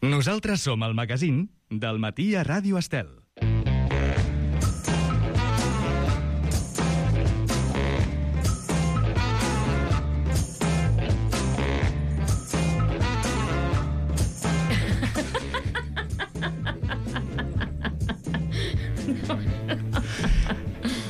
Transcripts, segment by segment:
Nosaltres som el magazín del matí a Ràdio Estel.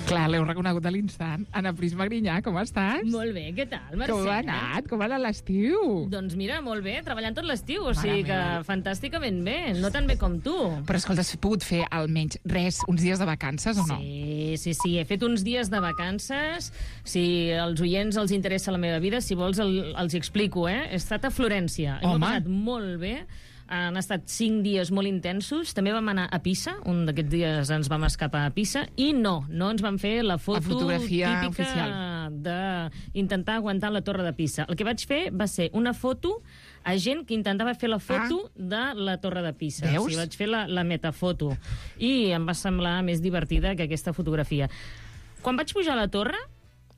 Clar, l'heu reconegut a l'instant. Anna Prisma Grinyà, com estàs? Molt bé, què tal, Mercè? Com ha anat? Com ha anat l'estiu? Doncs mira, molt bé, treballant tot l'estiu, o sigui que fantàsticament bé, no tan bé com tu. Però escolta, has pogut fer almenys res, uns dies de vacances o no? Sí, he fet uns dies de vacances. Si als oients els interessa la meva vida, si vols els explico, He estat a Florència. M'ho he passat molt bé. Han estat 5 dies molt intensos. També vam anar a Pisa, un d'aquests dies ens vam escapar a Pisa, i no ens van fer la fotografia típica oficial d'intentar aguantar la torre de Pisa. El que vaig fer va ser una foto a gent que intentava fer la foto de la torre de Pisa. Veus? O sigui, vaig fer la metafoto. I em va semblar més divertida que aquesta fotografia. Quan vaig pujar a la torre,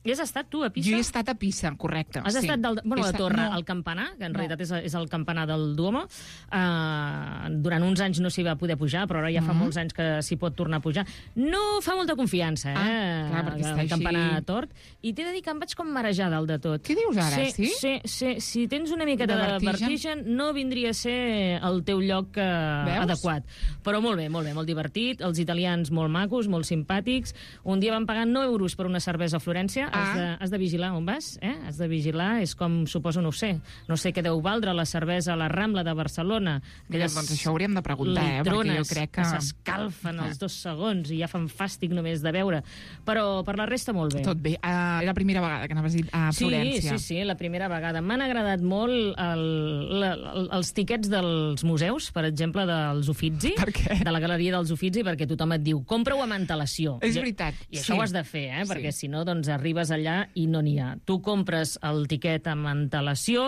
i has estat tu a Pisa? Jo he estat a Pisa, correcte. Has estat la torre, no. el campanar, que en realitat és el campanar del Duomo. Durant uns anys no s'hi va poder pujar, però ara ja fa molts anys que s'hi pot tornar a pujar. No fa molta confiança, clar, perquè està el campanar tort. I t'he de dir que em vaig com marejar dalt de tot. Què dius ara, sí? Sí. Si tens una miqueta de vertigen, no vindria a ser el teu lloc adequat. Però molt bé, molt divertit. Els italians molt macos, molt simpàtics. Un dia vam pagar 9 euros per una cervesa a Florència. Has de vigilar on vas, Has de vigilar, és com, suposo, no sé què deu valdre la cervesa a la Rambla de Barcelona. Doncs això hauríem de preguntar, perquè jo crec que s'escalfen els 2 segons i ja fan fàstic només de veure. Però per la resta molt bé. Tot bé. Era la primera vegada que anaves a Florència. Sí, la primera vegada. M'han agradat molt els tiquets dels museus, per exemple, dels Uffizi, de la Galeria dels Uffizi, perquè tothom et diu, compra-ho amb antelació. És veritat. I això ho has de fer, perquè si no, doncs arribes allà i no n'hi ha. Tu compres el tiquet amb antelació,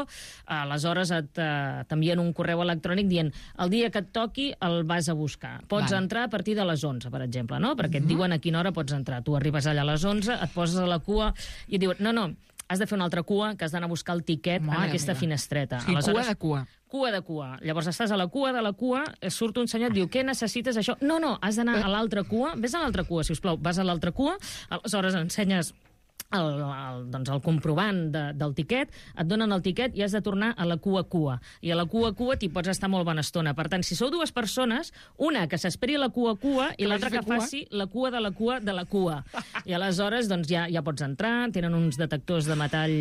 aleshores t'envien un correu electrònic dient el dia que et toqui el vas a buscar. Pots entrar a partir de les 11, per exemple, no? Perquè et diuen a quina hora pots entrar. Tu arribes allà a les 11, et poses a la cua i et diuen, no, has de fer una altra cua, que has d'anar a buscar el tiquet en aquesta finestreta. Sí, aleshores, cua de cua. Llavors estàs a la cua de la cua, surt un senyor, et diu, què necessites això? No, has d'anar a l'altra cua. Vés a l'altra cua, sisplau. Vas a l'altra cua, aleshores ensenyes el comprovant del tiquet, et donen el tiquet i has de tornar a la cua. I a la cua t'hi pots estar molt bona estona. Per tant, si sou 2 persones, una que s'esperi a la cua i l'altra que faci la cua de la cua de la cua. I aleshores doncs, ja pots entrar, tenen uns detectors de metall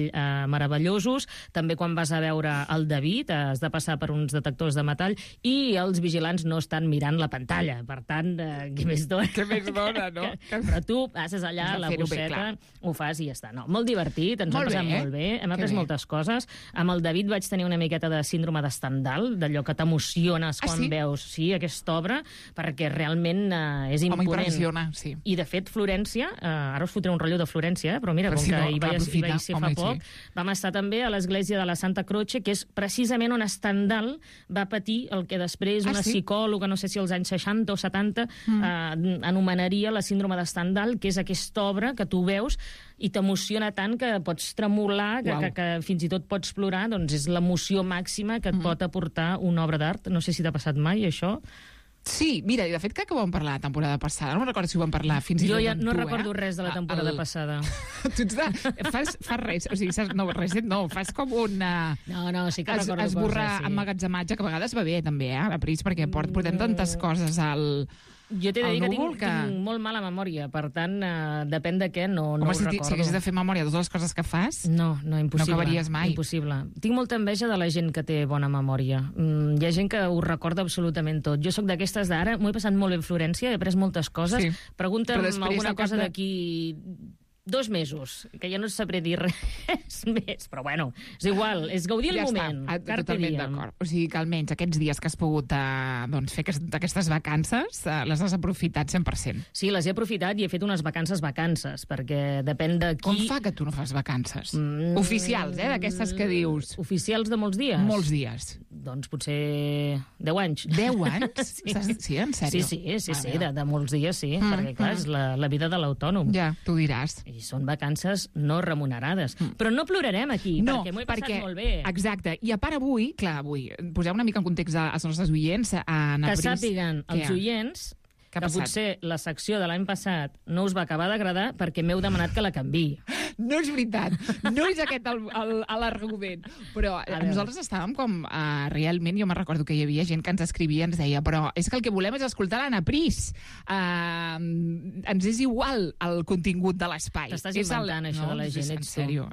meravellosos. També quan vas a veure el David has de passar per uns detectors de metall i els vigilants no estan mirant la pantalla. Per tant, què més dona, no? Però tu passes allà a la bosseta, ho fas i ja està. No, molt divertit, ens ho hem passat molt bé, hem après moltes coses. Amb el David vaig tenir una miqueta de síndrome de Stendhal, d'allò que t'emociones quan veus aquesta obra, perquè realment és imponent. M'impressiona, sí. I de fet, Florència, ara us fotré un rotllo de Florència, però mira, com que hi vaig ser fa poc, vam estar també a l'església de la Santa Croce, que és precisament on Stendhal va patir el que després una psicòloga, no sé si als anys 60 o 70, anomenaria la síndrome de Stendhal, que és aquesta obra que tu veus i t'emociona tant que pots tremolar, que fins i tot pots plorar, doncs és l'emoció màxima que et pot aportar una obra d'art. No sé si t'ha passat mai, això. Sí, mira, i de fet crec que ho vam parlar la temporada passada. No recordo si ho vam parlar fins i tot jo ja no recordo res de la temporada passada. Tu fas res, o sigui, fas com una... No, sí que recordo coses, esborrar emmagatzematge, que a vegades va bé també, a la Pris, perquè portem tantes coses al... Jo t'he de dir que tinc molt mala memòria, per tant, depèn de què, no ho recordo. Si haguessis de fer memòria de totes les coses que fas, no, impossible. No acabaries mai. Impossible. Tinc molta enveja de la gent que té bona memòria. Hi ha gent que ho recorda absolutament tot. Jo sóc d'aquestes d'ara, m'ho he passat molt bé a Florència, he après moltes coses. Pregunta'm alguna cosa d'aquí 2 mesos, que ja no sabré dir res més, però bueno, és igual, és gaudir el moment. Totalment d'acord. O sigui que almenys aquests dies que has pogut fer aquestes vacances, les has aprofitat 100%. Sí, les he aprofitat i he fet unes vacances, perquè depèn de qui... Com fa que tu no fas vacances? Oficials, d'aquestes que dius. Oficials de molts dies? Molts dies. Doncs potser 10 anys. 10 anys? Sí, en sèrio? Sí, de molts dies, sí, perquè clar, és la vida de l'autònom. Ja, tu diràs. I són vacances no remunerades. Però no plorarem aquí, perquè m'ho he passat molt bé. Exacte. I a part avui, posem una mica en context als nostres oients. Que sàpiguen els oients que potser la secció de l'any passat no us va acabar d'agradar perquè m'heu demanat que la canviï. No és veritat. No és aquest l'argument. Però nosaltres estàvem com... realment, jo me'n recordo que hi havia gent que ens escrivia i ens deia però és que el que volem és escoltar l'Anna Pris. Ens és igual el contingut de l'espai. T'estàs inventant això de la gent, ets tu.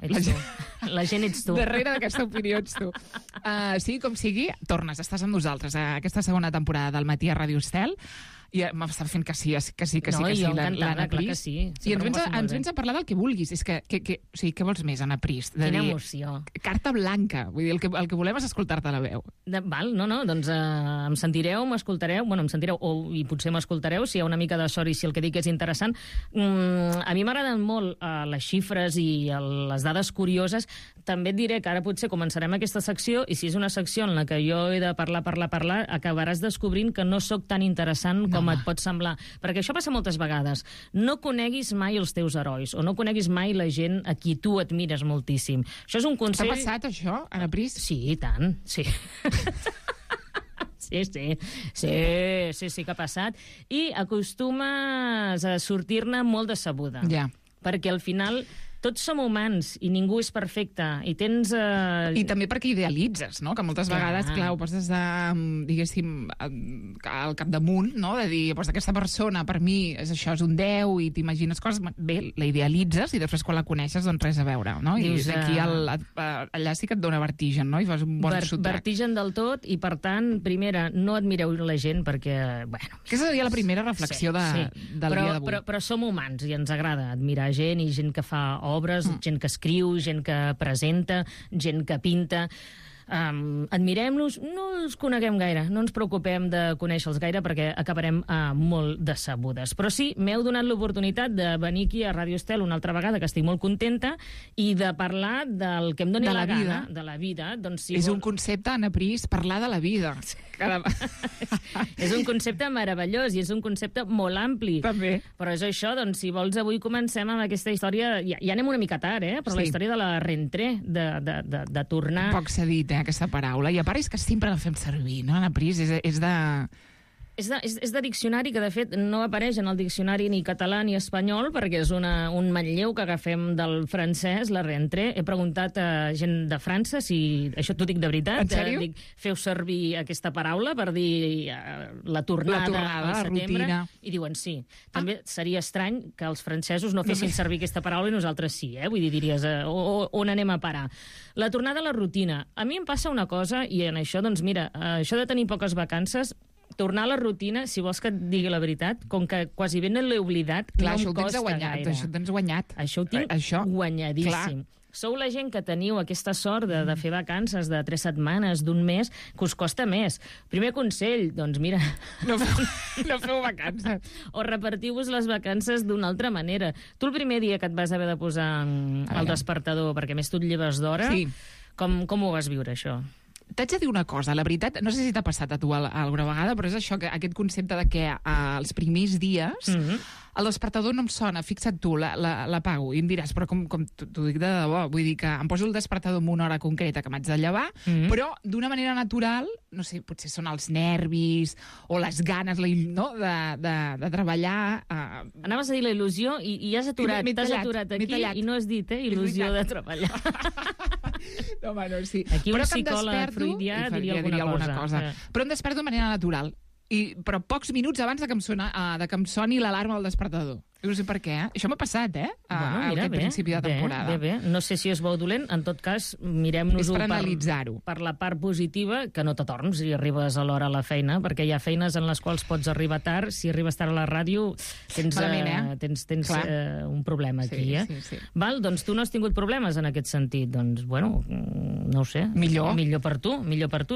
La gent ets tu. Darrere d'aquesta opinió ets tu. Sí, com sigui, tornes, estàs amb nosaltres a aquesta segona temporada del Matí a Ràdio Estel. I m'està fent que sí, l'Anna Pris. Sí. I ens vens a parlar del que vulguis. És que o sigui, què vols més, Anna Pris? Quina emoció. Carta blanca. Vull dir, el que volem és escoltar-te la veu. Val, doncs em sentireu, m'escoltareu, em sentireu, i potser m'escoltareu, si hi ha una mica de sort i si el que dic és interessant. A mi m'agraden molt les xifres i les dades curioses. També et diré que ara potser començarem aquesta secció i si és una secció en la que jo he de parlar, acabaràs descobrint que no sóc tan interessant com et pot semblar. Perquè això passa moltes vegades. No coneguis mai els teus herois o no coneguis mai la gent a qui tu admires moltíssim. Això és un consell... T'ha passat, això, Anna Pris? Sí, i tant, sí. Sí que ha passat. I acostumes a sortir-ne molt decebuda. Ja. Perquè al final... Tots som humans i ningú és perfecte. I tens... I també perquè idealitzes, no? Que moltes vegades, clar, ho poses diguéssim, al capdamunt, no? De dir, doncs aquesta persona, per mi, això és un 10 i t'imagines coses... Bé, la idealitzes i després quan la coneixes, doncs res a veure, no? Dius, I aquí allà sí que et dona vertigen, no? I fas un bon sotrac. Vertigen del tot i, per tant, primera, no admireu la gent perquè, bueno... Aquesta seria la primera reflexió del dia d'avui. Però som humans i ens agrada admirar gent i gent que fa obres, gent que escriu, gent que presenta, gent que pinta. Admirem-los, no els coneguem gaire, no ens preocupem de conèixer-los gaire perquè acabarem molt decebudes. Però sí, m'heu donat l'oportunitat de venir aquí a Ràdio Estel una altra vegada, que estic molt contenta, i de parlar del que em doni la gana, de la vida. Doncs, és un concepte, Anna Pris, parlar de la vida. És un concepte meravellós i és un concepte molt ampli. També. Però és això, doncs, si vols, avui comencem amb aquesta història... Ja anem una mica tard, però la història de la rentrée, de tornar... Poc s'ha dit, aquesta paraula. I a part és que sempre la fem servir, no, Anna Pris? És de... És de diccionari que, de fet, no apareix en el diccionari ni català ni espanyol, perquè és un manlleu que agafem del francès, la rentrée. He preguntat a gent de França si... Això t'ho dic de veritat. En sèrio? Dic, feu servir aquesta paraula per dir la tornada al setembre. Rutina. I diuen sí. També seria estrany que els francesos no fessin servir aquesta paraula i nosaltres sí, Vull dir, diries, on anem a parar? La tornada a la rutina. A mi em passa una cosa, i en això, doncs mira, això de tenir poques vacances... Tornar a la rutina, si vols que et digui la veritat, com que quasi ben l'he oblidat, clar, no em costa gaire. Això ho tens guanyat. Això ho tinc guanyadíssim. Clar. Sou la gent que teniu aquesta sort de fer vacances de 3 setmanes, d'un mes, que us costa més. Primer consell, doncs mira... No feu vacances. O repartiu-vos les vacances d'una altra manera. Tu el primer dia que et vas haver de posar el despertador, perquè més tu et lleves d'hora, com ho vas viure, això? T'haig de dir una cosa, la veritat, no sé si t'ha passat a tu alguna vegada, però és això, aquest concepte de que els primers dies el despertador no em sona, fixa't tu, l'apago, i em diràs, però com t'ho dic de debò, vull dir que em poso el despertador en una hora concreta que m'haig de llevar, però d'una manera natural, no sé, potser són els nervis o les ganes, no?, de treballar. Anaves a dir la il·lusió i has aturat, t'has aturat aquí i no has dit, il·lusió de treballar. No, home, no, sí. Aquí un psicòleg freudià diria alguna cosa. Però em desperto de manera natural. Però pocs minuts abans de que em soni l'alarma del despertador. No sé per què, Això m'ha passat, aquest principi de temporada. Bé. No sé si és bo o dolent, en tot cas, mirem-nos-ho per la part positiva, que no t'atorns si arribes a l'hora a la feina, perquè hi ha feines en les quals pots arribar tard. Si arribes tard a la ràdio, tens un problema aquí, Sí. Val? Doncs tu no has tingut problemes en aquest sentit. Doncs, bueno, no ho sé. Millor per tu.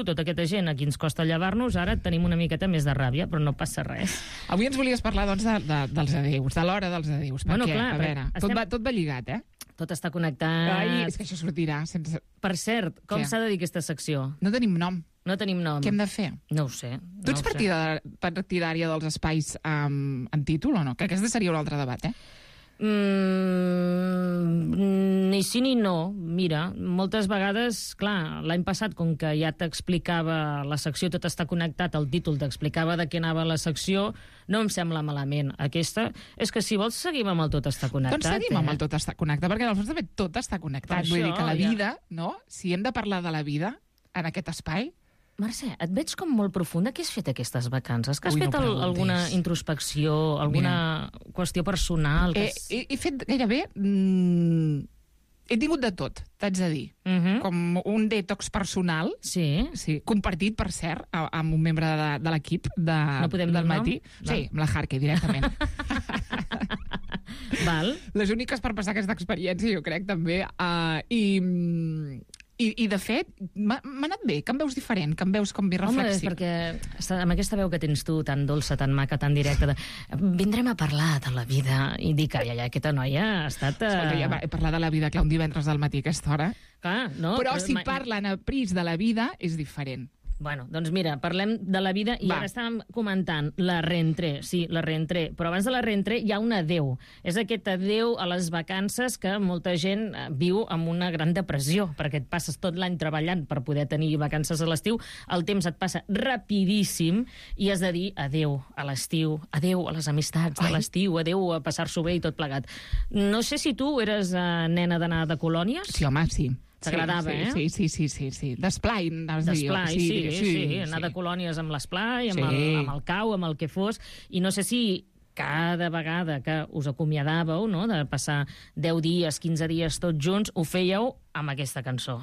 Tota aquesta gent a qui ens costa llevar-nos, ara tenim una miqueta més de ràbia, però no passa res. Avui ens volies parlar, doncs, dels adeus, de l'hora dels adeus. Bueno, clar, a veure, tot va lligat, Tot està connectat. Ai, és que això sortirà sense... Per cert, com s'ha de dir aquesta secció? No tenim nom. No tenim nom. Què hem de fer? No ho sé. Tu ets partidària dels espais en títol o no? Que aquest seria un altre debat, Ni sí ni no. Mira, moltes vegades, clar, l'any passat, com que ja t'explicava la secció Tot està connectat, el títol t'explicava de què anava la secció, no em sembla malament. Aquesta, és que si vols seguim amb el Tot està connectat. Doncs seguim amb el Tot està connectat, perquè en el fons també tot està connectat. Per Vull dir això, que la ja. vida, no? Si hem de parlar de la vida en aquest espai, Mercè, et veig com molt profunda. Què has fet aquestes vacances? Que has Ui, no fet preguntis. alguna introspecció, alguna qüestió personal? Que he fet gairebé... he tingut de tot, t'haig de dir. Com un detox personal, Sí. sí, compartit, per cert, amb un membre de l'equip No podem dir del el nom? matí. Sí, amb la Harkey, directament. Val. Les úniques per passar aquesta experiència, jo crec, també. I de fet, m'ha anat bé, que em veus diferent, que em veus com més Home, és reflexiu. perquè amb aquesta veu que tens tu, tan dolça, tan maca, tan directa, vindrem a parlar de la vida, i dic, ai, aquesta noia ha estat... Escolta, ja he parlat de la vida, clar, un divendres al matí a aquesta hora. Clar, no? Però si parlen a pris de la vida, és diferent. Bueno, doncs mira, parlem de la vida i Va. ara estàvem comentant la reentré. Sí, la reentré. Però abans de la reentré hi ha un adeu. És aquest adeu a les vacances que molta gent viu amb una gran depressió, perquè et passes tot l'any treballant per poder tenir vacances a l'estiu, el temps et passa rapidíssim i has de dir adeu a l'estiu, adeu a les amistats de l'estiu, adeu a passar-s'ho bé i tot plegat. No sé si tu eres nena d'anar de colònies. Sí, home, sí. T'agradava, Sí. D'esplai, anaves a dir. D'esplai, sí. Anar de colònies amb l'esplai, amb el cau, amb el que fos. I no sé si cada vegada que us acomiadàveu, no?, de passar 10 dies, 15 dies tots junts, ho fèieu amb aquesta cançó.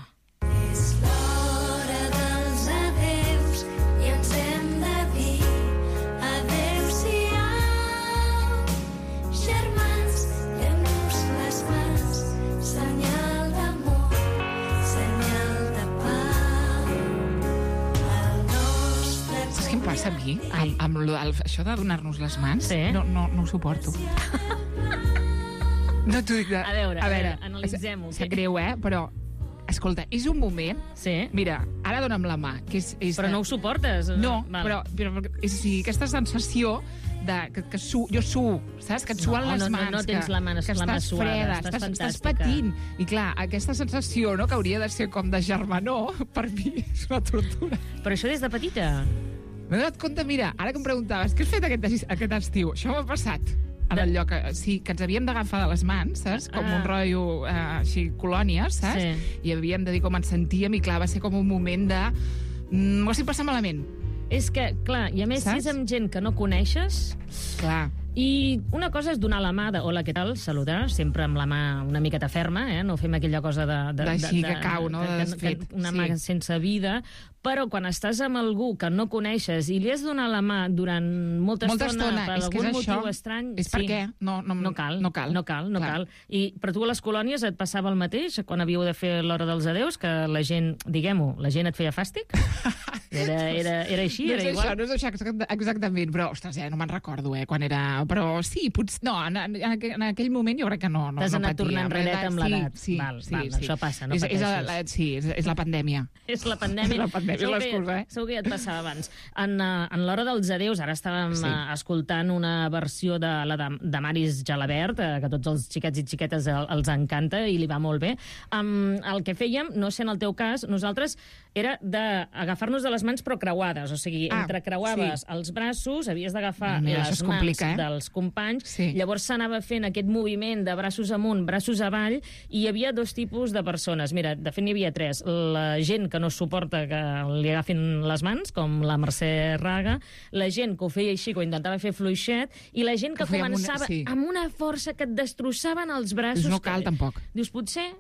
És l'hora dels adeus i ens hem de dir adéu-siau. Germans, fem-nos les mans, senyal d'amor, senyal de pau. El nostre Saps què em passa a mi? Amb això de donar-nos les mans? Sí. No ho suporto. No t'ho dic de... A veure, analitzem-ho. Sap greu, però... Escolta, és un moment... Sí. Mira, ara dona'm la mà, que és Però no ho suportes? No, Val. però és així, aquesta sensació de que jo suo, saps? Que et suen les mans. No tens la mà que suada, estàs freda, estàs estàs fantàstica. patint. I clar, aquesta sensació, no?, que hauria de ser com de germanor, per mi és una tortura. Però això des de petita? M'he donat compte, mira, ara que em preguntaves, què has fet aquest estiu? Això m'ha passat. En el lloc, sí, que ens havíem d'agafar de les mans, saps? Com un rotllo, així, colònies, saps? Sí. I havíem de dir com ens sentíem, i clar, va ser com un moment de... M'ho estic passant malament. És que, clar, i a més, Saps? si és amb gent que no coneixes... Clar. I una cosa és donar la mà de hola, què tal, saludar, sempre amb la mà una miqueta ferma, no fem aquella cosa D'així que cau, no?, de desfet. Una mà sense vida, però quan estàs amb algú que no coneixes i li has donat la mà durant molta estona per és que algun és motiu això. estrany... És per què? No cal. Clar. Però tu a les colònies et passava el mateix quan havíeu de fer l'hora dels adeus, que la gent, diguem-ho, la gent et feia fàstic? Era així, No era és igual? això, no és això exactament, però, ostres, no me'n recordo, quan era... Però sí, potser... No, en aquell moment jo crec que no T'has anat patia. tornant enredet amb l'edat. Sí, Val, sí. això passa, no pateixis. És la pandèmia. És la pandèmia. La pandèmia és l'excusa, Segur que ja et passava abans. En l'hora dels adeus, ara estàvem escoltant una versió de la de Maris Jalabert, que a tots els xiquets i xiquetes els encanta i li va molt bé. El que fèiem, no sé en el teu cas, nosaltres era d'agafar-nos de les mans però creuades, o sigui, entrecreuaves els braços, havies d'agafar les mans dels companys, llavors s'anava fent aquest moviment de braços amunt, braços avall, i hi havia dos tipus de persones. Mira, de fet n'hi havia tres. La gent que no suporta que li agafin les mans, com la Mercè Raga, la gent que ho feia així, que ho intentava fer fluixet, i la gent que començava amb una força que et destrossaven els braços. No cal, tampoc. Dius, potser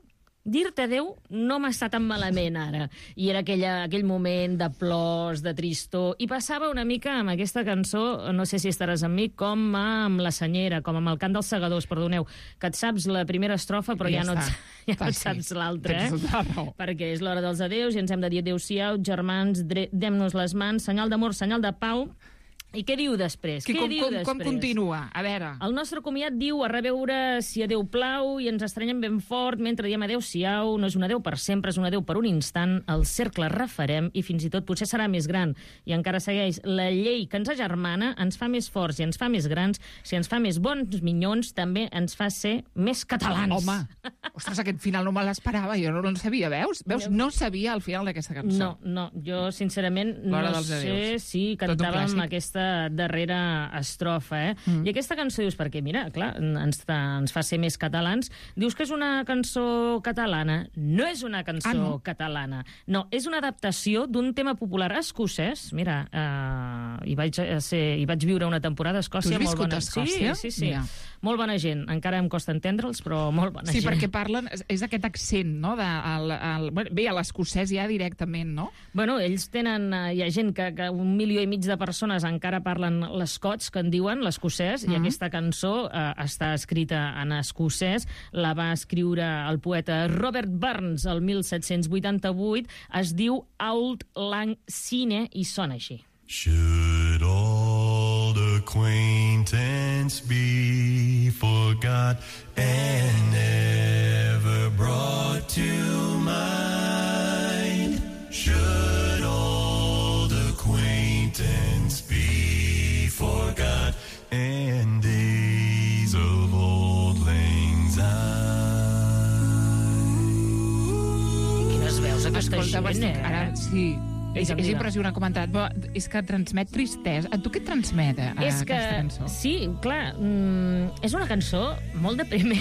dir-te adéu no m'està tan malament ara. I era aquell moment de plors, de tristor, i passava una mica amb aquesta cançó, no sé si estaràs amb mi, com amb La Senyera, com amb el cant dels segadors, perdoneu, que et saps la primera estrofa però ja no et saps l'altra, perquè és l'hora dels adeus i ens hem de dir adéu-siau, germans, dem-nos les mans, senyal d'amor, senyal de pau. I què diu després? Com continua? A veure... El nostre comiat diu a reveure si adeu plau i ens estrenyem ben fort mentre diem adeu-siau. No és un adeu per sempre, és un adeu per un instant. El cercle refarem i fins i tot potser serà més gran. I encara segueix. La llei que ens agermana ens fa més forts i ens fa més grans. Si ens fa més bons minyons, també ens fa ser més catalans. Home, ostres, aquest final no me l'esperava. Jo no en sabia, veus? No sabia el final d'aquesta cançó. No, jo sincerament no sé si cantàvem aquesta darrera estrofa, I aquesta cançó dius, perquè mira, clar, ens fa ser més catalans. Dius que és una cançó catalana. No és una cançó catalana. No, és una adaptació d'un tema popular escocès. Mira, hi vaig viure una temporada a Escòcia. Tu has viscut a Escòcia? Sí. Mira. Molt bona gent. Encara em costa entendre'ls, però molt bona gent. Sí, perquè parlen... És aquest accent, no? Bé, a l'escocès ja directament, no? Bueno, ells tenen... Hi ha gent que 1,5 milió de persones encara parlen l'escots, que en diuen, l'escocès, i aquesta cançó està escrita en escocès. La va escriure el poeta Robert Burns el 1788. Es diu Auld Lang Syne i sona així. Should old acquaintance be forgot and never brought to mind? Should old acquaintance be forgot and days of old lang syne? Quines veus aquesta gent, Ara, sí. És impressionant comentat, però és que transmet tristesa. A tu què et transmet aquesta cançó? Sí, clar, és una cançó molt depriment.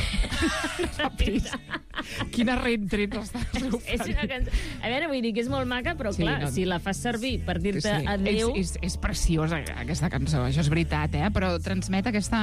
Quina reentrent estàs És una cançó... A veure, vull dir que és molt maca, però clar, si la fas servir per dir-te adéu... És preciosa aquesta cançó, això és veritat, però transmet aquesta...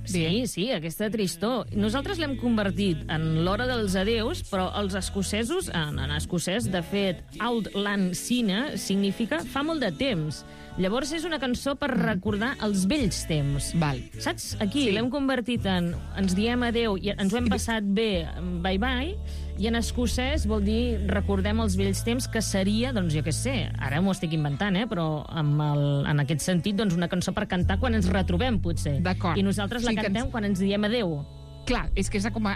Sí, aquesta tristor. Nosaltres l'hem convertit en l'hora dels adeus, però els escocesos, en escocès, de fet, Auld Lang Syne significa fa molt de temps. Llavors és una cançó per recordar els vells temps. Val. Saps? Aquí l'hem convertit en ens diem adeu i ens ho hem passat bé, bye-bye, i en escocès vol dir recordem els vells temps, que seria, doncs jo què sé, ara m'ho estic inventant, però en aquest sentit, doncs una cançó per cantar quan ens retrobem, potser. D'acord. I nosaltres la cantem quan ens diem adeu. Clar, és que és com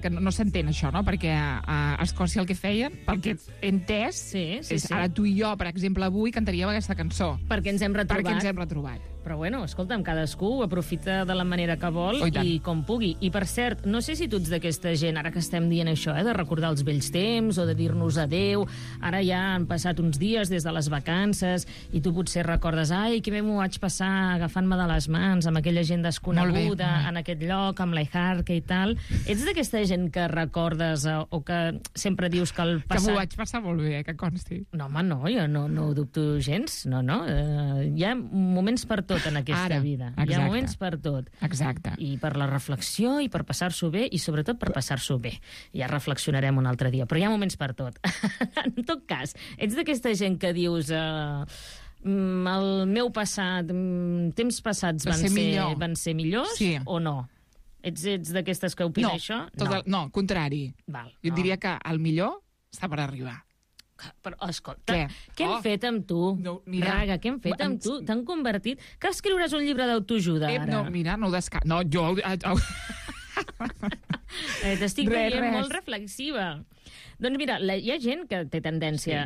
que no s'entén això, no? Perquè a Escòcia el que feien, pel que he entès, és ara tu i jo, per exemple, avui cantaríem aquesta cançó. Perquè ens hem retrobat. Però bueno, escolta'm, cadascú ho aprofita de la manera que vol i com pugui. I per cert, no sé si tu ets d'aquesta gent, ara que estem dient això, de recordar els vells temps o de dir-nos adeu, ara ja han passat uns dies des de les vacances i tu potser recordes, ai, que bé m'ho vaig passar agafant-me de les mans amb aquella gent desconeguda en aquest lloc, amb l'Aiharque i tal. Ets d'aquesta gent que recordes o que sempre dius que el passat... Que m'ho vaig passar molt bé, que consti. No, home, no, jo no ho dubto gens. No. Hi ha moments per tot en aquesta vida. Hi ha moments per tot. Exacte. I per la reflexió, i per passar-s'ho bé, i sobretot per passar-s'ho bé. Ja reflexionarem un altre dia, però hi ha moments per tot. En tot cas, ets d'aquesta gent que dius... el meu passat, temps passats van ser millors o no? Ets d'aquestes que opina això? No, contrari. Jo diria que el millor està per arribar. Però, escolta, què hem fet amb tu? Raga, què hem fet amb tu? T'han convertit... Que escriuràs un llibre d'autoajuda, ara? No, mira, no ho descarto. No, jo... T'estic veient molt reflexiva. Doncs mira, hi ha gent que té tendència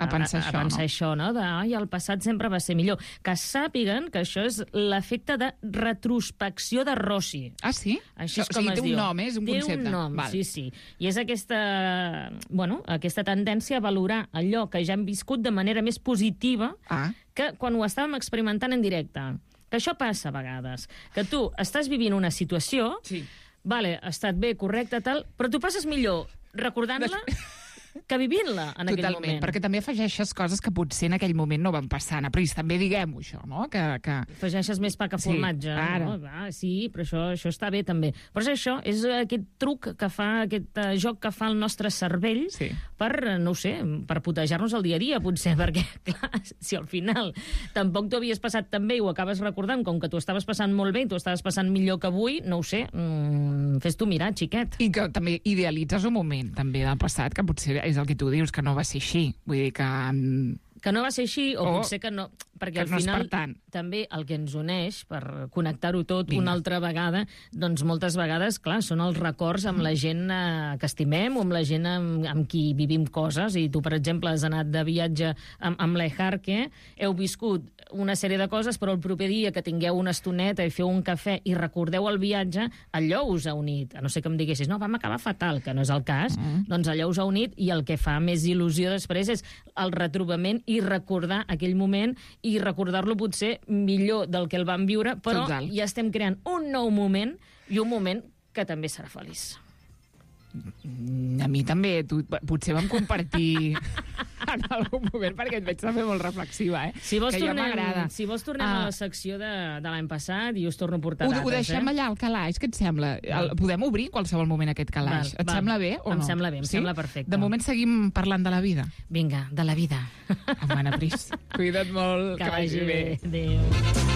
a pensar això, no? El passat sempre va ser millor. Que sàpiguen que això és l'efecte de retrospecció de Rossi. Ah, sí? Així és com es diu. Té un nom, és un concepte. Té un nom, sí. I és aquesta tendència a valorar allò que ja hem viscut de manera més positiva que quan ho estàvem experimentant en directe. Que això passa a vegades. Que tu estàs vivint una situació... Vale, ha estat bé, correcte, tal, però tu passes millor recordant-la que vivint-la en aquell moment. Totalment, perquè també afegeixes coses que potser en aquell moment no van passar. Però també diguem-ho, això, no? Que... Afegeixes més pa que formatge. Sí, però això està bé, també. Però és això, és aquest truc que fa, aquest joc que fa el nostre cervell per, no ho sé, per putejar-nos el dia a dia, potser, perquè, clar, si al final tampoc t'ho havies passat tan bé i ho acabes recordant, com que t'ho estaves passant molt bé i t'ho estaves passant millor que avui, no ho sé, fes-t'ho mirar, xiquet. I que també idealitzes un moment, també, del passat, que potser és el que tu dius, que no va ser així. Vull dir que... Que no va ser així, o potser que no... perquè que al no és final per tant. també el que ens uneix, per connectar-ho tot una altra vegada, doncs moltes vegades, clar, són els records amb la gent que estimem o amb la gent amb qui vivim coses. I tu, per exemple, has anat de viatge amb l'Ejarque, heu viscut una sèrie de coses, però el proper dia que tingueu una estoneta i feu un cafè i recordeu el viatge, allò us ha unit. A no ser que em diguessis, no, vam acabar fatal, que no és el cas, doncs allò us ha unit, i el que fa més il·lusió després és el retrobament i recordar aquell moment i recordar-lo potser millor del que el vam viure, però Total. ja estem creant un nou moment i un moment que també serà feliç. A mi també, potser vam compartir en algun moment, perquè et veig també molt reflexiva, Si vols, que ja tornem, m'agrada. si vols tornem a la secció de l'any passat i us torno a portar dates. Ho deixem allà, al calaix, què et sembla? Podem obrir en qualsevol moment aquest calaix. Et sembla bé o no? Em sembla bé, em sembla perfecte. De moment seguim parlant de la vida. Vinga, de la vida. Mana Pris, cuida't molt, Que vagi bé. bé. Adéu.